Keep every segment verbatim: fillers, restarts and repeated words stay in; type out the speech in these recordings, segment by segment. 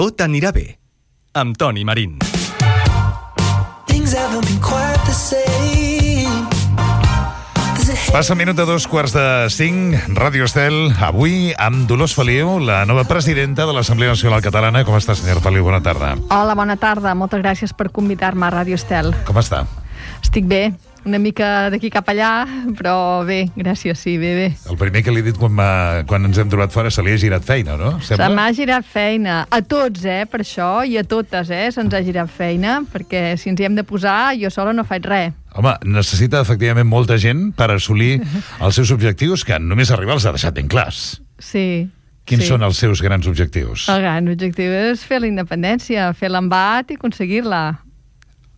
Tot anirà bé, amb Toni Marín. Passa minut de dos quarts de cinc, Ràdio Estel, avui amb Dolors Feliu, la nova presidenta de l'Assemblea Nacional Catalana. Com està, senyora Feliu? Bona tarda. Hola, bona tarda. Moltes gràcies per convidar-me a Ràdio Estel. Com està? Estic bé. Una mica d'aquí cap allà, però bé, gràcies, sí, bé, bé. El primer que li he dit quan, quan ens hem trobat fora, se li ha girat feina, no? Sembla? Se m'ha girat feina. A tots, eh, per això, i a totes, eh, se'ns ha girat feina, perquè si ens hi hem de posar, jo sola no faig res. Home, necessita efectivament molta gent per assolir els seus objectius, que només arribar els ha deixat ben clars. Sí. Quins sí. són els seus grans objectius? El gran objectiu és fer la independència, fer l'embat i aconseguir-la.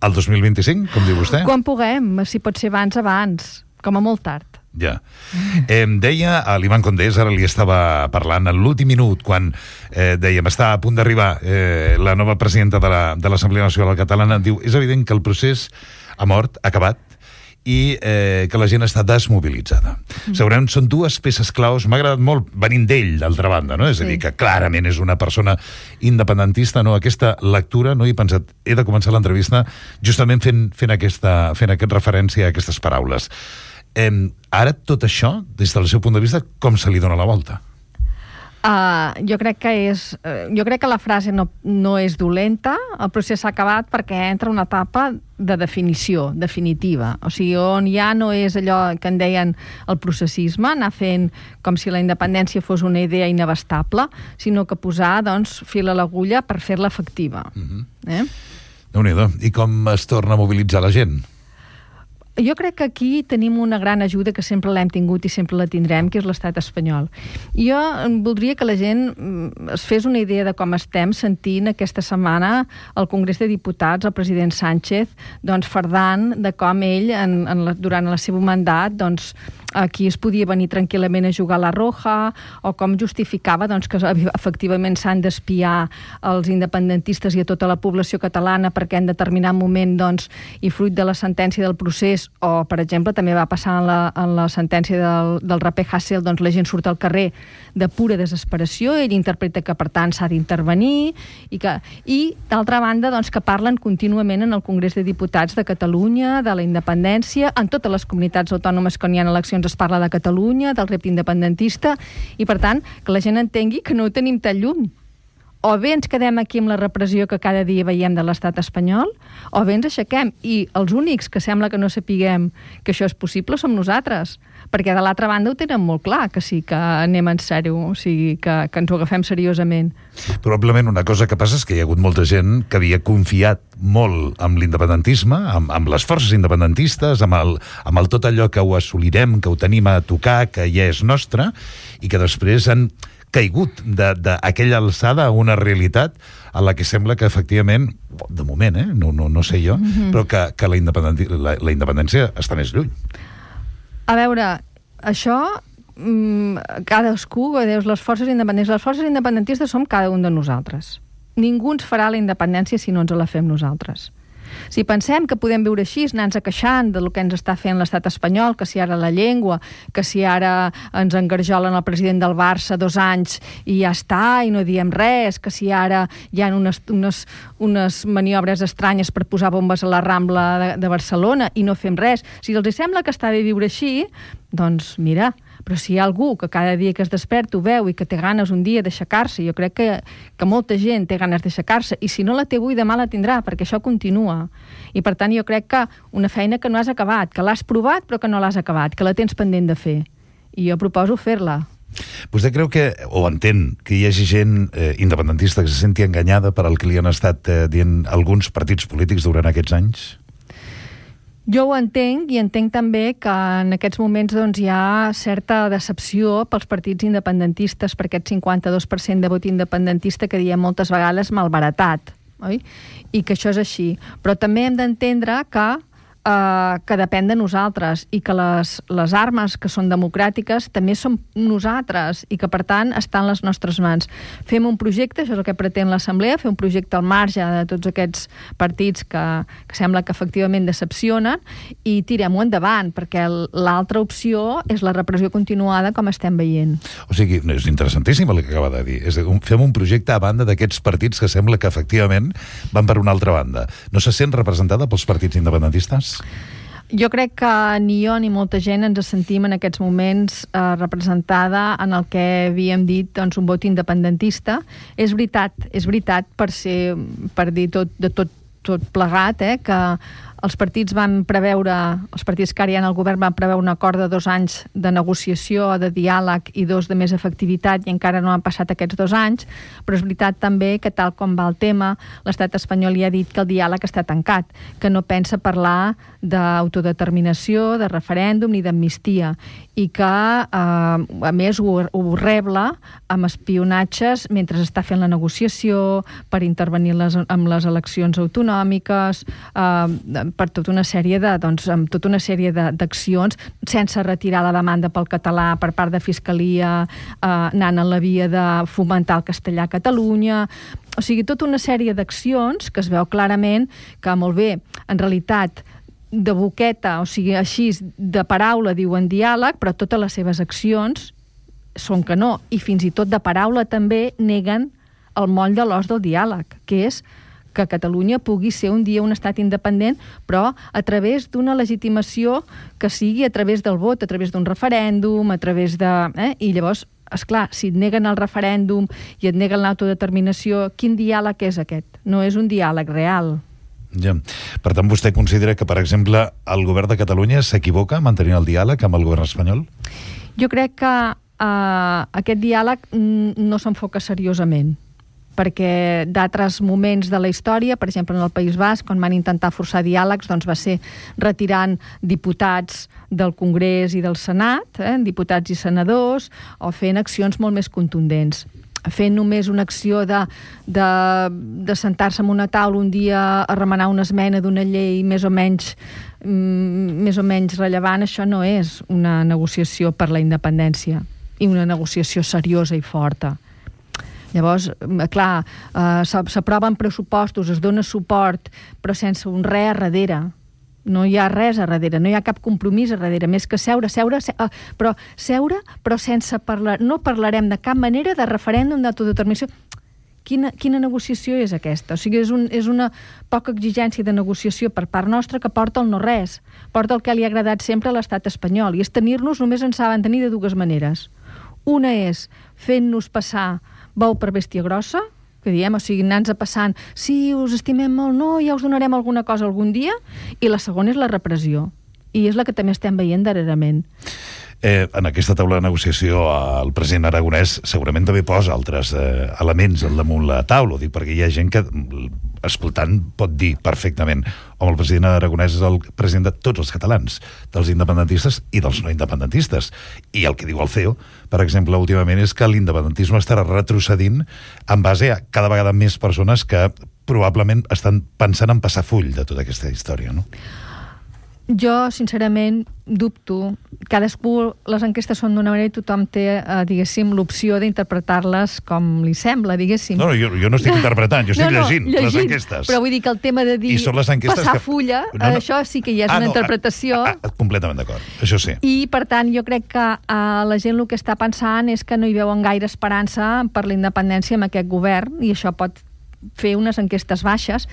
El dos mil vint-i-cinc, com diu vostè? Quan puguem, si pot ser abans, abans, com a molt tard. Ja. Eh, deia a l'Ivan Condés, ara li estava parlant en l'últim minut, quan eh, dèiem, està a punt d'arribar eh, la nova presidenta de la, de l'Assemblea Nacional Catalana, diu, és evident que el procés ha mort, ha acabat, i eh, que la gent està desmobilitzada. Mm. Segurament són dues peces claus. M'ha agradat molt venint d'ell, d'altra banda, no? És a dir, que clarament és una persona independentista, no? Aquesta lectura, no? He pensat, he de començar l'entrevista justament fent, fent, aquesta, fent aquest referència a aquestes paraules. Eh, ara, tot això, des del seu punt de vista, com se li dona la volta? Uh, jo crec que és uh, jo crec que la frase no, no és dolenta. El procés s'ha acabat perquè entra una etapa de definició definitiva, o sigui, on ja no és allò que en deien el processisme, anar fent com si la independència fos una idea inabastable, sinó que posar, doncs, fil a l'agulla per fer-la efectiva. Mm-hmm. eh? Déu-n'hi-do. I com es torna a mobilitzar la gent? Jo crec que aquí tenim una gran ajuda que sempre l'hem tingut i sempre la tindrem, que és l'estat espanyol. Jo voldria que la gent es fes una idea de com estem sentint aquesta setmana al Congrés de Diputats, el president Sánchez, doncs, fardant de com ell, en, en la, durant el seu mandat, doncs, aquí es podia venir tranquil·lament a jugar a la Roja, o com justificava, doncs, que efectivament s'han d'espiar els independentistes i a tota la població catalana perquè en determinat moment, doncs, i fruit de la sentència del procés, o, per exemple, també va passar en la, en la sentència del, del raper Hasél, doncs la gent surt al carrer de pura desesperació, ell interpreta que, per tant, s'ha d'intervenir, i, que, i d'altra banda, doncs, que parlen contínuament en el Congrés de Diputats de Catalunya, de la independència, en totes les comunitats autònomes que n'hi ha eleccions es parla de Catalunya, del repte independentista, i, per tant, que la gent entengui que no ho tenim tan lluny. O bé ens quedem aquí amb la repressió que cada dia veiem de l'estat espanyol, o bé ens aixequem. I els únics que sembla que no sapiguem que això és possible som nosaltres, perquè de l'altra banda ho tenen molt clar, que sí que anem en sèrio, o sigui, que, que ens ho agafem seriosament. Probablement una cosa que passa és que hi ha hagut molta gent que havia confiat molt amb l'independentisme, amb, amb les forces independentistes, amb el, amb el tot allò que ho assolirem, que ho tenim a tocar, que ja és nostre, i que després han caigut d'aquella alçada a una realitat a la que sembla que efectivament, de moment, eh, no, no, no sé jo, mm-hmm. però que, que la, independenci la, la independència està més lluny. A veure, això, mmm, cadascú, dius, les forces independents, les forces independentistes som cada un de nosaltres. Ningú ens farà la independència si no ens la fem nosaltres. Si pensem que podem viure així, anar-nos queixant del que ens està fent l'estat espanyol, que si ara la llengua, que si ara ens engarjolen el president del Barça dos anys i ja està, i no diem res, que si ara hi ha unes, unes, unes maniobres estranyes per posar bombes a la Rambla de, de Barcelona i no fem res. Si els sembla que està bé viure així, doncs mira, però si hi ha algú que cada dia que es desperta ho veu i que té ganes un dia d'aixecar-se, jo crec que, que molta gent té ganes d'aixecar-se, i si no la té avui, demà la tindrà, perquè això continua. I per tant jo crec que una feina que no has acabat, que l'has provat però que no l'has acabat, que la tens pendent de fer. I jo proposo fer-la. Vostè creu que, o entén, que hi hagi gent eh, independentista que se senti enganyada per al que li han estat eh, dient alguns partits polítics durant aquests anys? Jo ho entenc, i entenc també que en aquests moments doncs, hi ha certa decepció pels partits independentistes per aquest cinquanta-dos per cent de vot independentista que diem moltes vegades malbaratat, oi? I que això és així. Però també hem d'entendre que eh, que depèn de nosaltres i que les, les armes que són democràtiques també som nosaltres i que, per tant, estan a les nostres mans. Fem un projecte, això és el que pretén l'Assemblea, fer un projecte al marge de tots aquests partits que, que sembla que efectivament decepcionen i tirem-ho endavant, perquè l'altra opció és la repressió continuada com estem veient. O sigui, és interessantíssim el que acaba de dir. És, fem un projecte a banda d'aquests partits que sembla que efectivament van per una altra banda. No se sent representada pels partits independentistes? Jo crec que ni jo ni molta gent ens sentim en aquests moments eh, representada en el que havíem dit, doncs, un vot independentista. És veritat, és veritat per ser, per dir tot, de tot, tot plegat, eh, que els partits van preveure, els partits que ara hi ha en el govern van preveure un acord de dos anys de negociació, de diàleg i dos de més efectivitat, i encara no han passat aquests dos anys, però és veritat també que tal com va el tema, l'estat espanyol ja ha dit que el diàleg està tancat, que no pensa parlar d'autodeterminació, de referèndum ni d'amnistia, i que, eh, a més, ho, ho rebla amb espionatges mentre està fent la negociació, per intervenir les, amb les eleccions autonòmiques, eh, per tota una sèrie de, doncs, amb tota una sèrie d'accions, sense retirar la demanda pel català per part de Fiscalia, eh, anant en la via de fomentar el castellà a Catalunya. O sigui, tota una sèrie d'accions que es veu clarament que, molt bé, en realitat, de boqueta, o sigui, així, de paraula diuen diàleg, però totes les seves accions són que no. I fins i tot de paraula també neguen el moll de l'os del diàleg, que és que Catalunya pugui ser un dia un estat independent, però a través d'una legitimació que sigui a través del vot, a través d'un referèndum, a través de... Eh? I llavors, esclar, si et neguen el referèndum i et neguen l'autodeterminació, quin diàleg és aquest? No és un diàleg real. Ja. Per tant, vostè considera que, per exemple, el govern de Catalunya s'equivoca mantenint el diàleg amb el govern espanyol? Jo crec que eh, aquest diàleg no s'enfoca seriosament, perquè d'altres moments de la història, per exemple en el País Basc, quan van intentar forçar diàlegs, doncs va ser retirant diputats del Congrés i del Senat, eh, diputats i senadors, o fent accions molt més contundents. Fent només una acció de, de, de sentar-se en una taula un dia a remenar una esmena d'una llei més o menys, mm, més o menys rellevant, això no és una negociació per la independència i una negociació seriosa i forta. Llavors, clar, eh, s'aproven pressupostos, es dona suport, però sense un res a darrere. No hi ha res a darrere, no hi ha cap compromís a darrere, més que seure, seure, seure però seure, però sense parlar, no parlarem de cap manera de referèndum d'autodeterminació. Quina, quina negociació és aquesta? O sigui, és, un, és una poca exigència de negociació per part nostra que porta el no res, porta el que li ha agradat sempre a l'estat espanyol, i és tenir-nos, només ens saben tenir de dues maneres. Una és fent-nos passar bou per bèstia grossa, que diem, o sigui, anant-nos a passant, sí, us estimem molt, no, ja us donarem alguna cosa algun dia, i la segona és la repressió, i és la que també estem veient darrerament. Eh, en aquesta taula de negociació el president Aragonès segurament també posa altres eh, elements al damunt la taula, dic, perquè hi ha gent que, escoltant, pot dir perfectament home, el president Aragonès és el president de tots els catalans, dels independentistes i dels no independentistes, i el que diu el C E O, per exemple, últimament és que l'independentisme estarà retrocedint en base a cada vegada més persones que probablement estan pensant en passar full de tota aquesta història, no? Jo, sincerament, dubto. Cadascú, les enquestes són d'una manera i tothom té, eh, diguéssim, l'opció d'interpretar-les com li sembla, diguéssim. No, jo, jo no estic interpretant, jo estic no, no, llegint, llegint les enquestes. Però vull dir que el tema de dir passar que... fulla, no, no. això sí que ja és ah, una no, interpretació. Ah, ah, completament d'acord, això sí. I, per tant, jo crec que eh, la gent el que està pensant és que no hi veuen gaire esperança per la independència amb aquest govern, i això pot fer unes enquestes baixes,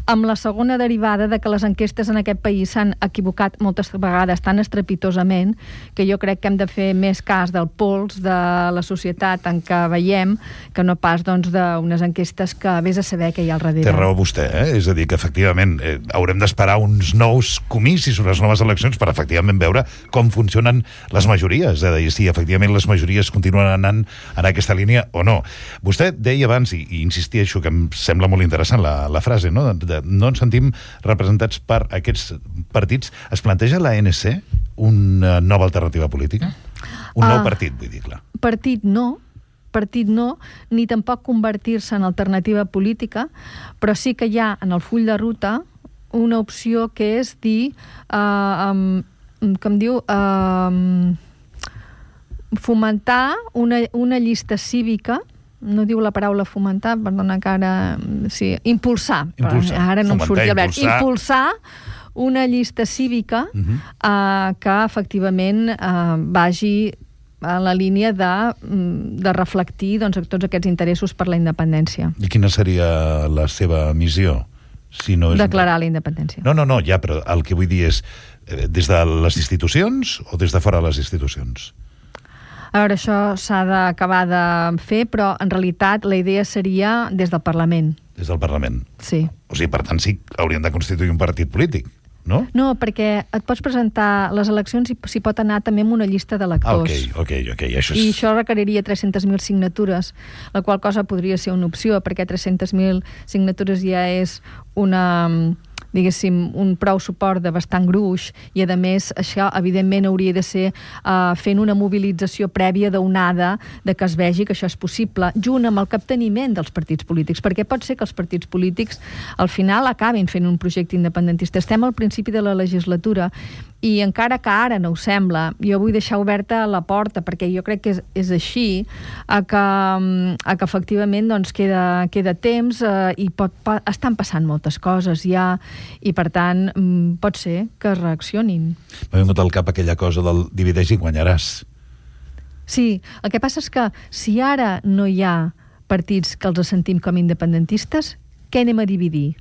amb la segona derivada de que les enquestes en aquest país s'han equivocat moltes vegades tan estrepitosament que jo crec que hem de fer més cas del pols de la societat en què veiem que no pas doncs, d'unes enquestes que vés a saber què hi ha al darrere. Té raó vostè, eh? És a dir, que efectivament eh, haurem d'esperar uns nous comicis, unes noves eleccions per efectivament veure com funcionen les majories, és a dir, si efectivament les majories continuen anant en aquesta línia o no. Vostè deia abans, i, i insistia això que em sembla molt interessant la, la frase, no? De, de, no ens sentim representats per aquests partits. Es planteja la A N C una nova alternativa política? Un uh, nou partit, vull dir, clar. Partit no, partit no, ni tampoc convertir-se en alternativa política, però sí que hi ha en el full de ruta una opció que és dir, uh, um, com diu, uh, fomentar una, una llista cívica, no diu la paraula fomentar, perdona que ara... Sí, impulsar. Impulsar. Ara no em surti el verb. Impulsar. Impulsar una llista cívica uh-huh. uh, que efectivament uh, vagi a la línia de, de reflectir doncs, tots aquests interessos per la independència. I quina seria la seva missió? Si no és... Declarar la independència. No, no, no, ja, però el que vull dir és eh, des de les institucions o des de fora de les institucions? A veure, això s'ha d'acabar de fer, però en realitat la idea seria des del Parlament. Des del Parlament? Sí. O sigui, per tant, sí, haurien de constituir un partit polític, no? No, perquè et pots presentar les eleccions i s'hi pot anar també amb una llista d'electors. Ah, ok, ok, ok. Això és... I això requeriria tres-centes mil signatures, la qual cosa podria ser una opció, perquè tres-centes mil signatures ja és una, diguéssim, un prou suport de bastant gruix, i a més això evidentment hauria de ser uh, fent una mobilització prèvia d'onada de que es vegi que això és possible, junt amb el capteniment dels partits polítics, perquè pot ser que els partits polítics al final acabin fent un projecte independentista. Estem al principi de la legislatura i encara que ara no ho sembla, jo vull deixar oberta la porta, perquè jo crec que és, és així, a que, a que efectivament doncs, queda, queda temps eh, i pot, pot, estan passant moltes coses ja, i per tant pot ser que es reaccionin. M'ha vingut al cap aquella cosa del divideix i guanyaràs. Sí, el que passa és que si ara no hi ha partits que els sentim com independentistes, què anem a dividir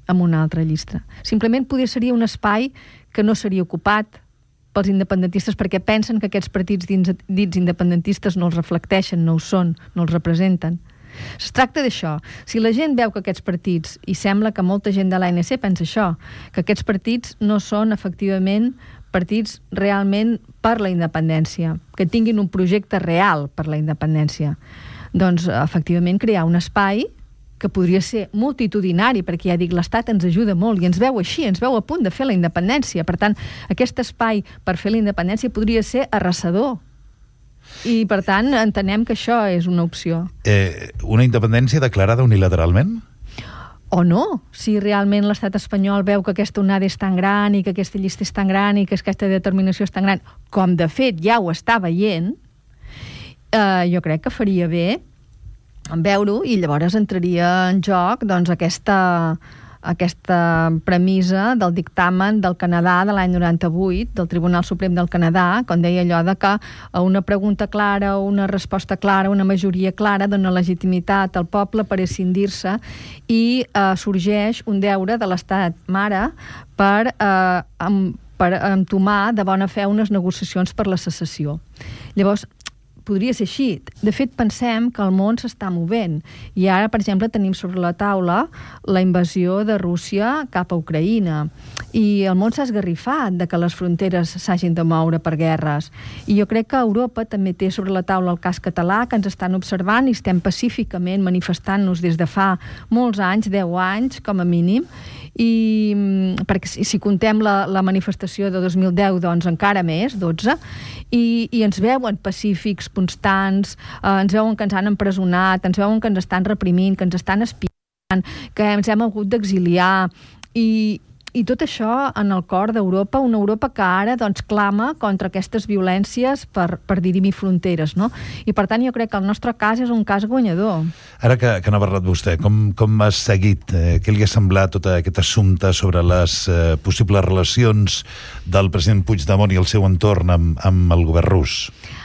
amb una altra llista? Simplement podria seria un espai que no seria ocupat pels independentistes perquè pensen que aquests partits dins, dits independentistes no els reflecteixen, no ho són, no els representen. Es tracta d'això. Si la gent veu que aquests partits, i sembla que molta gent de l'A N C pensa això, que aquests partits no són efectivament partits realment per la independència, que tinguin un projecte real per la independència, doncs efectivament crear un espai que podria ser multitudinari, perquè ja dic, l'Estat ens ajuda molt i ens veu així, ens veu a punt de fer la independència. Per tant, aquest espai per fer la independència podria ser arrasador. I, per tant, entenem que això és una opció. Eh, una independència declarada unilateralment? O no, si realment l'estat espanyol veu que aquesta onada és tan gran i que aquesta llista és tan gran i que aquesta determinació és tan gran, com de fet ja ho està veient, eh, jo crec que faria bé en veure-ho, i llavors entraria en joc doncs, aquesta, aquesta premissa del dictamen del Canadà de l'any noranta-vuit, del Tribunal Suprem del Canadà, quan deia allò de que una pregunta clara, una resposta clara, una majoria clara dona legitimitat al poble per escindir-se, i eh, sorgeix un deure de l'Estat mare per, eh, amb, per entomar de bona fe unes negociacions per la secessió. Llavors, podria ser així. De fet, pensem que el món s'està movent. I ara, per exemple, tenim sobre la taula la invasió de Rússia cap a Ucraïna. I el món s'ha esgarrifat de que les fronteres s'hagin de moure per guerres. I jo crec que Europa també té sobre la taula el cas català, que ens estan observant i estem pacíficament manifestant-nos des de fa molts anys, deu anys, com a mínim, i perquè si, si contem la, la manifestació de dos mil deu, doncs encara més, dotze, i, i ens veuen pacífics, constants, eh, ens veuen que ens han empresonat, ens veuen que ens estan reprimint, que ens estan espiant, que ens hem hagut d'exiliar, i, i tot això en el cor d'Europa, una Europa que ara doncs, clama contra aquestes violències per, per dirimir fronteres, no? I per tant jo crec que el nostre cas és un cas guanyador. Ara que, que n'ha parlat vostè, com, com has seguit, eh, què li ha semblat tot aquest assumpte sobre les eh, possibles relacions del president Puigdemont i el seu entorn amb, amb el govern rus?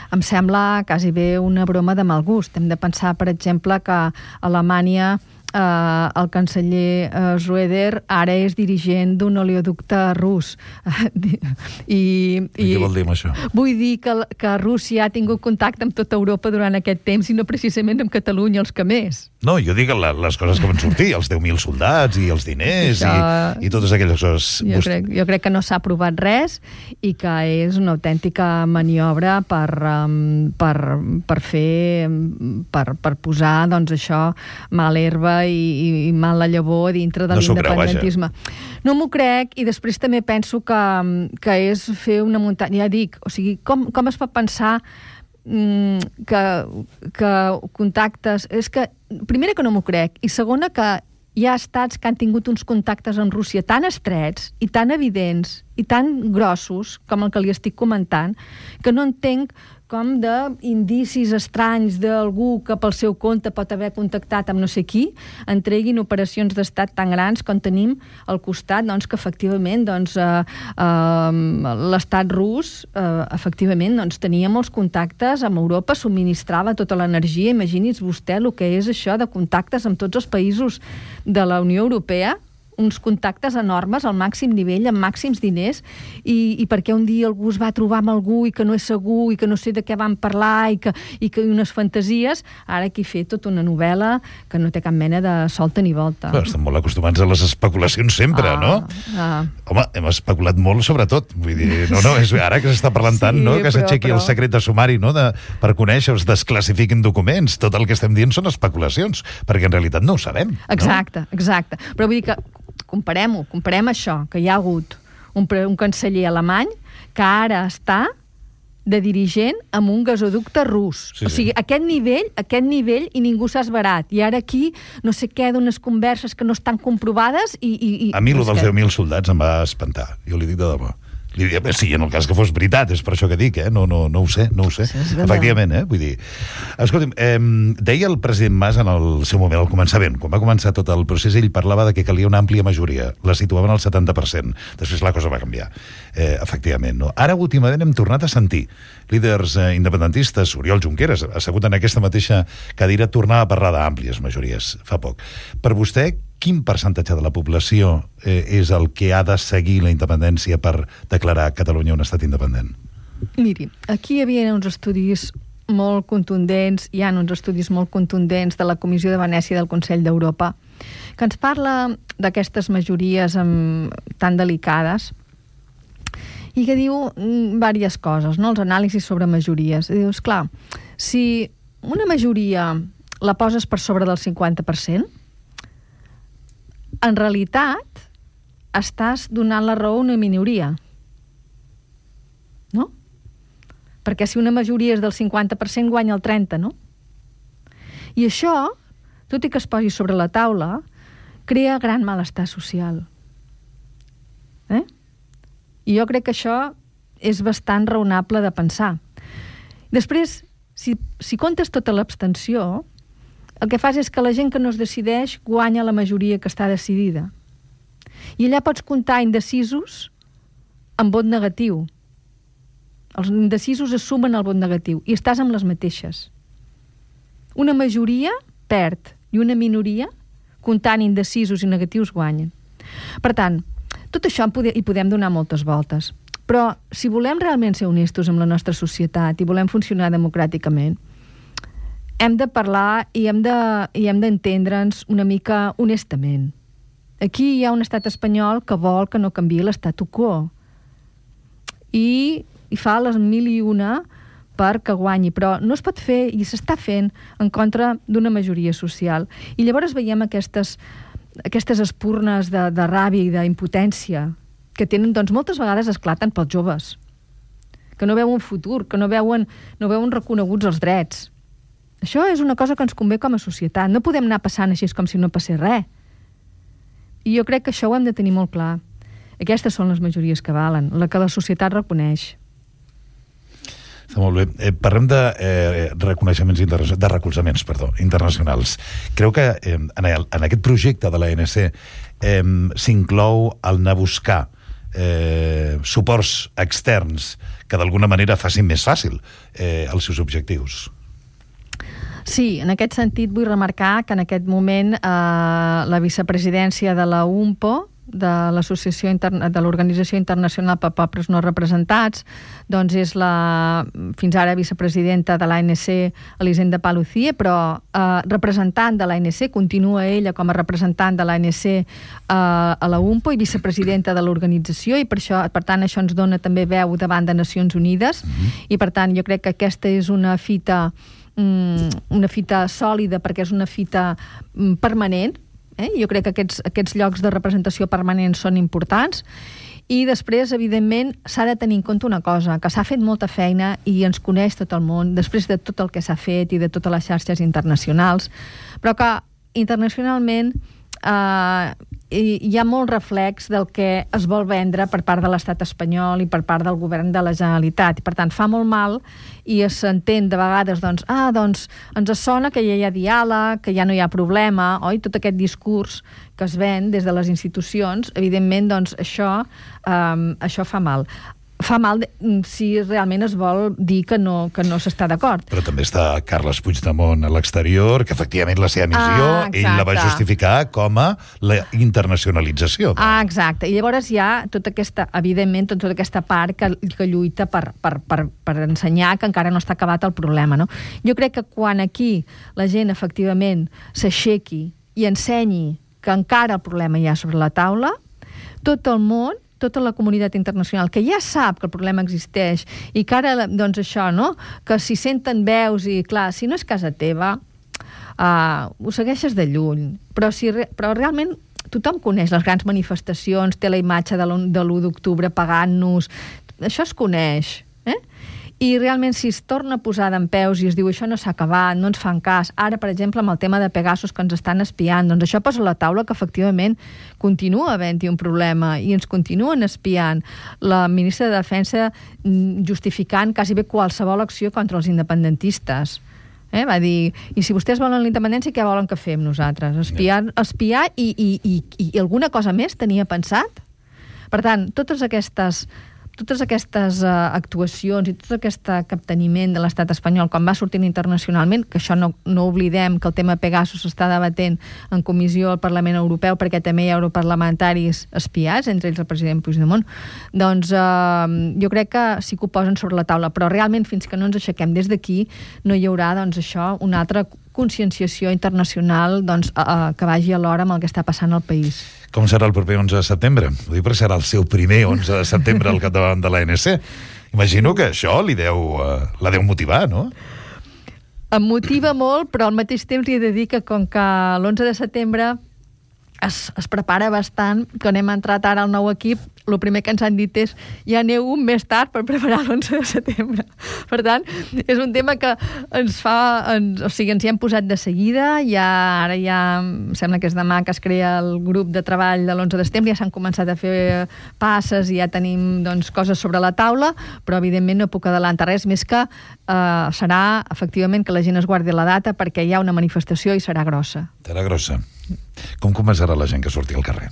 Em sembla quasi bé una broma de mal gust. Hem de pensar, per exemple, que Alemanya Uh, el canceller uh, Schröder ara és dirigent d'un oleoducte rus. I, i, I què vol dir amb això? Vull dir que, que Rússia ha tingut contacte amb tota Europa durant aquest temps i no precisament amb Catalunya els que més. No, jo dic la, les coses que van sortir, els deu mil soldats i els diners això... i, i totes aquelles coses. Jo crec, jo crec que no s'ha aprovat res i que és una autèntica maniobra per, um, per, per fer, per, per posar, doncs això, mal herba i, i mal la llavor dintre de no l'independentisme. No m'ho crec, i després també penso que, que és fer una muntanya, ja dic, o sigui, com, com es pot pensar mm, que, que contactes... És que, primera, que no m'ho crec, i segona, que hi ha estats que han tingut uns contactes amb Rússia tan estrets i tan evidents i tan grossos com el que li estic comentant, que no entenc com d'indicis estranys d'algú que pel seu compte pot haver contactat amb no sé qui, entreguin operacions d'estat tan grans com tenim al costat, doncs, que efectivament doncs, eh, eh, l'estat rus eh, efectivament doncs, tenia molts contactes amb Europa, subministrava tota l'energia. Imagini's vostè el que és això de contactes amb tots els països de la Unió Europea, uns contactes enormes al màxim nivell, amb màxims diners, i, i perquè un dia algú es va trobar amb algú i que no és segur i que no sé de què van parlar i que, i que unes fantasies, ara aquí fer tota una novel·la que no té cap mena de solta ni volta. Però estem molt acostumats a les especulacions sempre, ah, no? Ah. Home, hem especulat molt sobre tot. Vull dir, no, no, és ara que s'està parlant tant, sí, no? Que s'aixequi el secret de sumari, no? De, per conèixer, es desclassifiquin documents. Tot el que estem dient són especulacions, perquè en realitat no ho sabem. Exacte, no? Exacte. Però vull dir que comparem-ho, comparem això, que hi ha hagut un, un canceller alemany que ara està de dirigent amb un gasoducte rus. Sí, o sigui, sí. aquest nivell, aquest nivell i ningú s'ha esverat. I ara aquí no sé què d'unes converses que no estan comprovades i... i, i a mi, no lo dels deu mil soldats em va espantar. Jo li dic de debò. Sí, en el cas que fos veritat, és per això que dic, eh? No, no, no ho sé, no ho sé. Sí, efectivament, eh? Vull dir... Escolti'm, eh, deia el president Mas en el seu moment, al començament, quan va començar tot el procés, ell parlava de que calia una àmplia majoria, la situaven al setanta per cent. Després la cosa va canviar, eh, efectivament, no? Ara, últimament, hem tornat a sentir líders eh, independentistes, Oriol Junqueras, assegut en aquesta mateixa cadira, tornar a parlar d'àmplies majories fa poc. Per vostè, quin percentatge de la població eh, és el que ha de seguir la independència per declarar Catalunya un estat independent? Miri, aquí hi havia uns estudis molt contundents, hi ha uns estudis molt contundents de la Comissió de Venècia del Consell d'Europa, que ens parla d'aquestes majories amb, tan delicades i que diu diverses coses, no? Els anàlisis sobre majories. I dius, clar, si una majoria la poses per sobre del cinquanta per cent, en realitat estàs donant la raó a una minoria. No? Perquè si una majoria és del cinquanta per cent, guanya el trenta, no? I això, tot i que es posi sobre la taula, crea gran malestar social. Eh? I jo crec que això és bastant raonable de pensar. Després, si, si comptes tota l'abstenció, el que fas és que la gent que no es decideix guanya la majoria que està decidida. I allà pots comptar indecisos amb vot negatiu. Els indecisos es sumen al vot negatiu i estàs amb les mateixes. Una majoria perd i una minoria, comptant indecisos i negatius, guanyen. Per tant, tot això hi podem donar moltes voltes. Però si volem realment ser honestos amb la nostra societat i volem funcionar democràticament, hem de parlar i hem de, i hem d'entendre'ns una mica honestament. Aquí hi ha un estat espanyol que vol que no canviï l'statu quo i, i fa les mil i una perquè guanyi, però no es pot fer i s'està fent en contra d'una majoria social. I llavors veiem aquestes, aquestes espurnes de, de ràbia i d'impotència que tenen, doncs moltes vegades esclaten pels joves, que no veuen futur, que no veuen, no veuen reconeguts els drets. Això és una cosa que ens convé com a societat. No podem anar passant així com si no passés res. I jo crec que això ho hem de tenir molt clar. Aquestes són les majories que valen, la que la societat reconeix. Està molt bé. Eh, parlem de eh, reconeixements internacionals, de recolzaments, perdó, internacionals. Creu que eh, en, el, en aquest projecte de l'A N C eh, s'inclou el anar a buscar eh, suports externs que d'alguna manera facin més fàcil eh, els seus objectius? Sí, en aquest sentit vull remarcar que en aquest moment eh, la vicepresidència de la U N P O, de l'Associació Interna- de l'Organització Internacional per Pobles No Representats, doncs és la, fins ara, vicepresidenta de l'A N C, Elisenda Paluzie, però eh, representant de l'A N C, continua ella com a representant de l'A N C eh, a la U N P O i vicepresidenta de l'organització, i per això, per tant, això ens dona també veu davant de Nacions Unides, mm-hmm. i per tant, jo crec que aquesta és una fita una fita sòlida perquè és una fita permanent, eh? Jo crec que aquests, aquests llocs de representació permanent són importants, i després, evidentment, s'ha de tenir en compte una cosa, que s'ha fet molta feina i ens coneix tot el món, després de tot el que s'ha fet i de totes les xarxes internacionals, però que internacionalment eh, hi ha molt reflex del que es vol vendre per part de l'estat espanyol i per part del govern de la Generalitat. I, per tant, fa molt mal i s'entén de vegades, doncs, ah, doncs, ens sona que ja hi ha diàleg, que ja no hi ha problema, oi? Tot aquest discurs que es ven des de les institucions, evidentment, doncs, això, eh, això fa mal. Fa mal si realment es vol dir que no, que no s'està d'acord. Però també està Carles Puigdemont a l'exterior, que efectivament la seva missió, ah, ell la va justificar com a la internacionalització. Ah, exacte. I llavors hi ha tota aquesta, evidentment, tota aquesta part que, que lluita per, per, per, per ensenyar que encara no està acabat el problema, no? Jo crec que quan aquí la gent efectivament s'aixequi i ensenyi que encara el problema hi ha sobre la taula, tot el món, tota la comunitat internacional, que ja sap que el problema existeix i que ara, doncs això, no? Que si senten veus i, clar, si no és casa teva, uh, ho segueixes de lluny. Però, si, però realment tothom coneix les grans manifestacions, té la imatge de l'u d'octubre pagant-nos, això es coneix, eh? I realment si es torna a posar dempeus i es diu això no s'ha acabat, no ens fan cas, ara, per exemple, amb el tema de Pegasus que ens estan espiant, doncs això posa a la taula que efectivament continua havent-hi un problema i ens continuen espiant. La ministra de Defensa justificant quasi bé qualsevol acció contra els independentistes. Eh? Va dir, i si vostès volen la independència, què volen que fem nosaltres? Espiar, espiar i, i, i, i alguna cosa més tenia pensat? Per tant, totes aquestes... totes aquestes uh, actuacions i tot aquest capteniment de l'estat espanyol quan va sortint internacionalment, que això no, no oblidem que el tema Pegasus s'està debatent en comissió al Parlament Europeu perquè també hi ha europarlamentaris espiats, entre ells el president Puigdemont, doncs uh, jo crec que sí que ho posen sobre la taula, però realment fins que no ens aixequem des d'aquí no hi haurà doncs això, una altra conscienciació internacional doncs, uh, que vagi alhora amb el que està passant al país. Com serà el proper onze de setembre? Ho dic perquè serà el seu primer onze de setembre al capdavant de l'A N C. Imagino que això li deu, uh, la deu motivar, no? Em motiva molt, però al mateix temps li he de dir que com que l'onze de setembre es, es prepara bastant, quan hem entrat ara al nou equip, el primer que ens han dit és ja aneu un més tard per preparar l'onze de setembre. Per tant, és un tema que ens fa... Ens, o sigui, ens hi hem posat de seguida, ja, ara ja em sembla que és demà que es crea el grup de treball de l'onze de setembre, ja s'han començat a fer passes i ja tenim doncs, coses sobre la taula, però evidentment no puc adelantar res, més que eh, serà efectivament que la gent es guardi la data perquè hi ha una manifestació i serà grossa. Serà grossa. Com convencerà la gent que surti al carrer?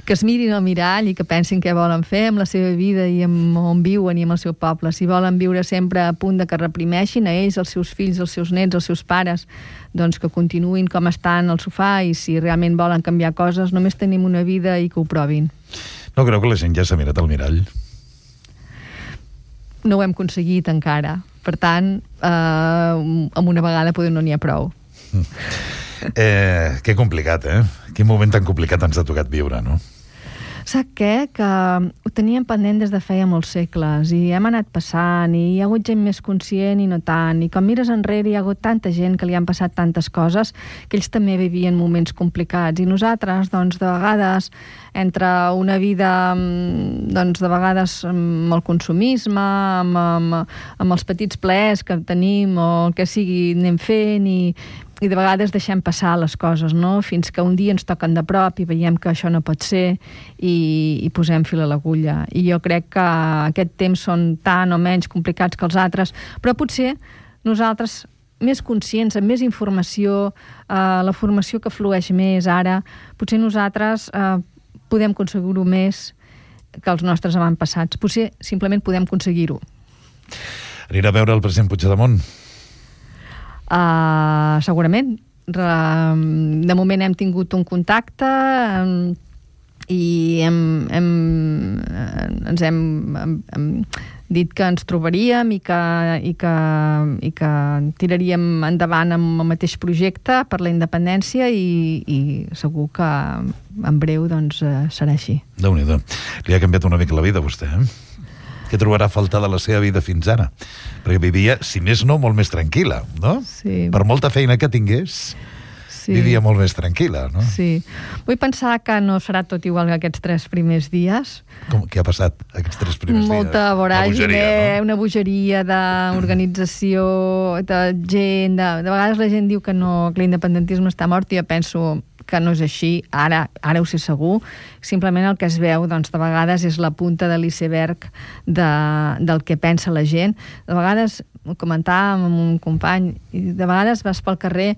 Que es mirin al mirall i que pensin què volen fer amb la seva vida i amb on viuen i amb el seu poble. Si volen viure sempre a punt de que reprimeixin a ells, els seus fills, els seus nets, els seus pares, doncs que continuïn com estan al sofà i si realment volen canviar coses, només tenim una vida i que ho provin. No creu que la gent ja s'ha mirat al mirall? No ho hem aconseguit encara. Per tant, eh, amb una vegada poder no n'hi ha prou. Eh, que complicat, eh? Quin moment tan complicat ens ha tocat viure, no? Sap què? Que ho teníem pendent des de feia molts segles i hem anat passant i hi ha hagut gent més conscient i no tant. I quan mires enrere hi ha hagut tanta gent que li han passat tantes coses que ells també vivien moments complicats. I nosaltres, doncs, de vegades, entre una vida, doncs, de vegades amb el consumisme, amb, amb, amb els petits plaers que tenim o el que sigui, anem fent i... i de vegades deixem passar les coses, no? Fins que un dia ens toquen de prop i veiem que això no pot ser i, i posem fil a l'agulla. I jo crec que aquest temps són tan o menys complicats que els altres, però potser nosaltres, més conscients, amb més informació, eh, la formació que flueix més ara, potser nosaltres eh, podem aconseguir-ho més que els nostres avantpassats. Potser simplement podem aconseguir-ho. Anirà a veure el president Puigdemont? Uh, segurament. De moment hem tingut un contacte um, i hem, hem, ens hem, hem, hem dit que ens trobaríem i que, i, que, i que tiraríem endavant amb el mateix projecte per la independència i, i segur que en breu doncs, serà així. Déu-n'hi-do. Li ha canviat una mica la vida a vostè, eh? Què trobarà a faltar de la seva vida fins ara? Perquè vivia, si més no, molt més tranquil·la, no? Sí. Per molta feina que tingués, sí. Vivia molt més tranquil·la, no? Sí. Vull pensar que no serà tot igual que aquests tres primers dies. Com, què ha passat aquests tres primers dies? Molta voràgine, no? Una bogeria d'organització, de gent... De, de vegades la gent diu que, no, que l'independentisme està mort i jo penso que no és així, ara, ara ho sé segur, simplement el que es veu, doncs, de vegades és la punta de l'iceberg de, del que pensa la gent. De vegades, ho comentàvem amb un company, i de vegades vas pel carrer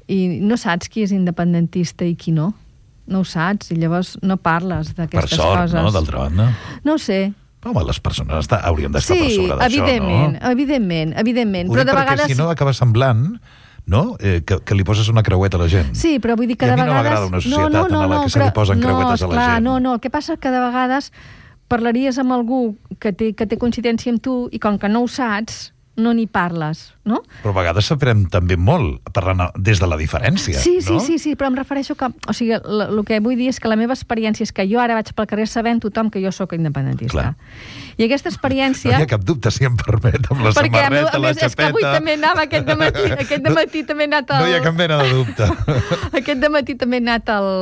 i no saps qui és independentista i qui no. No ho saps, i llavors no parles d'aquestes coses. Per sort, coses. no?, d'altra banda. No ho sé. Home, les persones està, haurien d'estar sí, per sobre d'això, evidentment, no? evidentment, evidentment. Ho Però dic de perquè vegades... si no acaba semblant, no?, eh, que, que li poses una creueta a la gent. Sí, però vull dir que I a de mi no vegades... m'agrada una societat no, no, no, en la que se li però... posen no, creuetes a la esclar, gent. No, no, el que passa és que de vegades parlaries amb algú que té, que té coincidència amb tu i com que no ho saps, no n'hi parles, no? Però a vegades s'aprèn també molt, parlant des de la diferència, sí, sí, no? Sí, sí, però em refereixo que... O sigui, el que vull dir és que la meva experiència és que jo ara vaig pel carrer sabent tothom que jo sóc independentista. Clar. I aquesta experiència... No hi ha cap dubte, si em permet, amb la perquè, samarreta, a més, la és que avui xapeta... també anava aquest dematí, aquest dematí també he anat al... No hi ha cap mena de dubte. Aquest dematí també he anat al...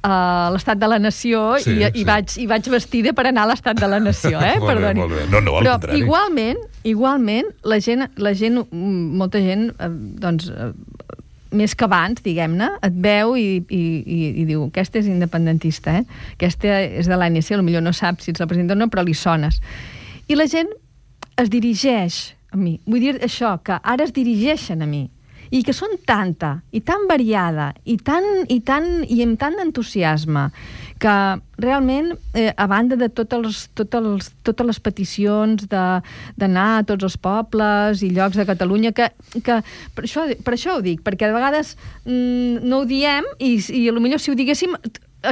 a l'Estat de la Nació sí, i, sí. i, vaig, i vaig vestida per anar a l'Estat de la Nació, eh? molt Perdoni. bé, molt bé. No, no, al Però contrari. igualment, igualment, la gent, la gent molta gent, eh, doncs, eh, més que abans, diguem-ne, et veu i, i, i, i diu, aquesta és independentista, eh? Aquesta és de l'A N C, potser no saps si ets la presidenta o no, però li sones. I la gent es dirigeix a mi. Vull dir això, que ara es dirigeixen a mi. I que són tanta, i tan variada, i, tan, i, tan, i amb tant d'entusiasme, que realment, eh, a banda de tots els, tots els, totes les peticions d'anar a tots els pobles i llocs de Catalunya, que, que per, això, per això ho dic, perquè de vegades mm, no ho diem, i, i potser si ho diguéssim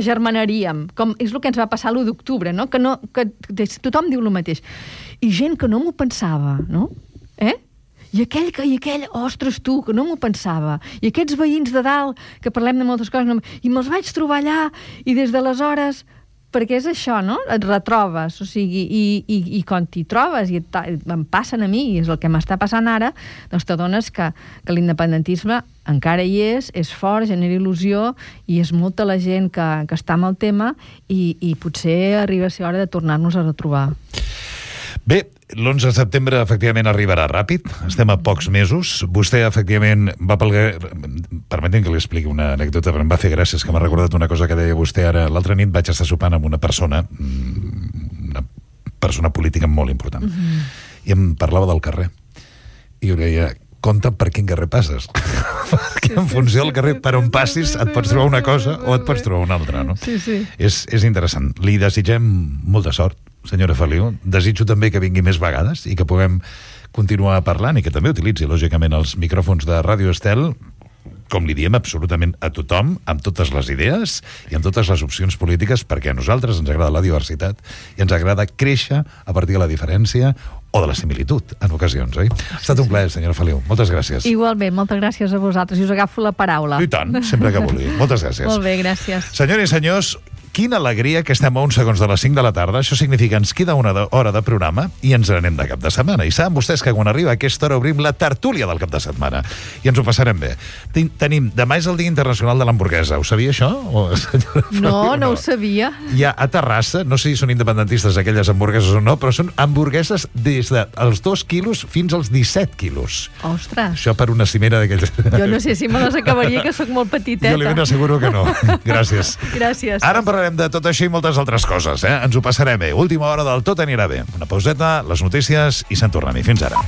agermanaríem, com és el que ens va passar l'u d'octubre, no? Que, no, que tothom diu el mateix. I gent que no m'ho pensava, no? Eh? I aquell, que, i aquell, ostres, tu, que no m'ho pensava. I aquests veïns de dalt, que parlem de moltes coses, no, i me'ls vaig trobar allà, i des d'aleshores... Perquè és això, no? Et retrobes, o sigui, i, i, i quan t'hi trobes, i et, em passen a mi, i és el que m'està passant ara, doncs t'adones que, que l'independentisme encara hi és, és fort, genera il·lusió, i és molta la gent que, que està amb el tema, i, i potser arriba a ser hora de tornar-nos a retrobar. Bé, l'onze de setembre efectivament arribarà ràpid, estem a pocs mesos. Vostè efectivament va pel... Permetin que li expliqui una anècdota, però em va fer gràcies, que m'ha recordat una cosa que deia vostè ara. L'altra nit vaig estar sopant amb una persona, una persona política molt important, uh-huh. i em parlava del carrer. I jo deia, compte per quin carrer passes. Perquè en funció del carrer per on passis et pots trobar una cosa o et pots trobar una altra, no? Sí, sí. És, és interessant. Li desitgem molta sort, senyora Feliu. Desitjo també que vingui més vegades i que puguem continuar parlant i que també utilitzi, lògicament, els micròfons de Ràdio Estel, com li diem absolutament a tothom, amb totes les idees i amb totes les opcions polítiques, perquè a nosaltres ens agrada la diversitat i ens agrada créixer a partir de la diferència o de la similitud, en ocasions, oi? Ha estat un plaer, senyora Feliu. Moltes gràcies. Igualment, moltes gràcies a vosaltres. I us agafo la paraula. I tant, sempre que vulgui. Moltes gràcies. Molt bé, gràcies. Senyores i senyors, quina alegria que estem a uns segons de les cinc de la tarda. Això significa que ens queda una hora de programa i ens n'anem de cap de setmana. I saben vostès que quan arriba aquesta hora obrim la tertúlia del cap de setmana. I ens ho passarem bé. Tenim, demà és el Dia Internacional de l'Hamburguesa. Ho sabia això? O, no, no, no ho sabia. Hi ha a Terrassa, no sé si són independentistes aquelles hamburgueses o no, però són hamburgueses des dels dos quilos fins als disset quilos. Ostres. Això per una cimera d'aquells... Jo no sé si me les acabaria, que sóc molt petiteta. Jo li ben asseguro que no. Gràcies. Gràcies. Ara en parlarem de tot això i moltes altres coses, eh? Ens ho passarem bé. Última hora del Tot anirà bé. Una pauseta, les notícies i se'n tornem-hi. Fins ara.